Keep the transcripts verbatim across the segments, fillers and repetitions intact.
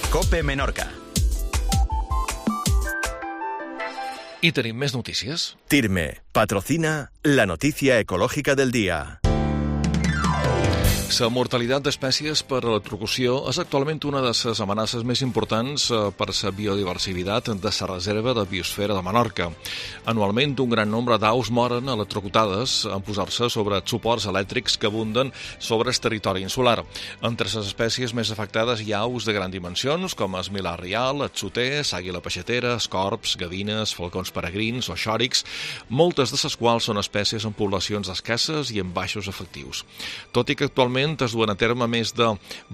COPE Menorca. I tenim més notícies. TIRME patrocina la noticia ecológica del día. La mortalitat d'espècies per electrocució és actualment una de les amenaces més importants per la biodiversitat de la reserva de biosfera de Menorca. Anualment, un gran nombre d'aus moren electrocutades en posar-se sobre suports elèctrics que abunden sobre el territori insular. Entre les espècies més afectades hi ha aus de grans dimensions, com el milà rial, el xoter, l'àguila peixatera, els corbs, gavines, falcons peregrins o xòrics, moltes de les quals són espècies en poblacions escasses i en baixos efectius. Tot i que actualment es duen a terme més de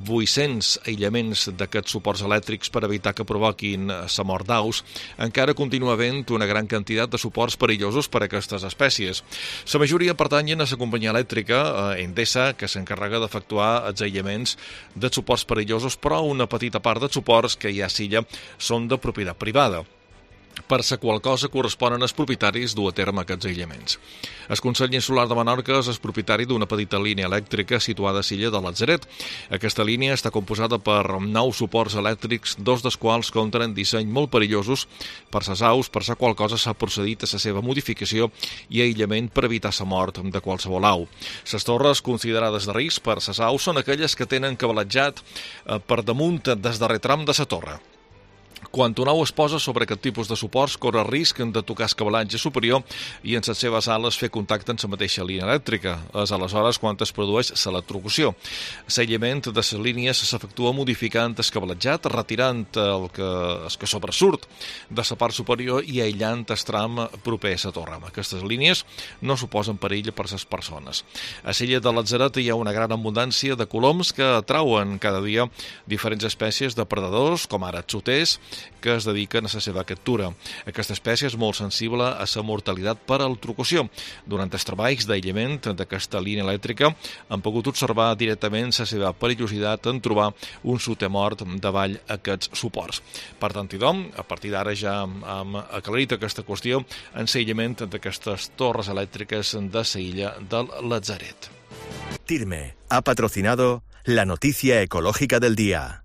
vuit-cents aïllaments d'aquests suports elèctrics per evitar que provoquin la mort d'aus, encara continua havent una gran quantitat de suports perillosos per a aquestes espècies. La majoria pertanyen a la companyia elèctrica Endesa, que s'encarrega d'efectuar els aïllaments de suports perillosos, però una petita part dels suports que hi ha a l'illa són de propietat privada. Per la qual cosa corresponen als propietaris dur a terme aquests aïllaments. El Consell Insular de Menorca és el propietari d'una petita línia elèctrica situada a l'illa de Latzaret. Aquesta línia està composada per nou suports elèctrics, dos dels quals compten en disseny molt perillosos per les aus, per la qual cosa s'ha procedit a la seva modificació i aïllament per evitar la mort de qualsevol au. Les torres considerades de risc per les aus són aquelles que tenen cablejat per damunt des darrer tram de la torre. Quan un au es posa sobre aquest tipus de suports, corre el risc de tocar el cablatge superior i en les seves ales fer contacte amb la mateixa línia elèctrica. És aleshores quan es produeix l'electrocució. L'aïllament de les línies s'efectua modificant el cablatjat, retirant el que, el que sobresurt de la part superior i aïllant el tram proper a la torre. Aquestes línies no suposen perill per a les persones. A l'illa de Latzaret hi ha una gran abundància de coloms que atrauen cada dia diferents espècies de predadors, com ara xoters, que es dediquen a la seva captura. Aquesta espècie és molt sensible a la mortalitat per electrocució. Durant els treballs d'aïllament d'aquesta línia elèctrica han pogut observar directament la seva perillositat en trobar un soter mort davall aquests suports. Per tant, idom, a partir d'ara ja hem aclarit aquesta qüestió en l'aïllament d'aquestes torres elèctriques de la illa del Latzaret. TIRME ha patrocinado la noticia ecológica del día.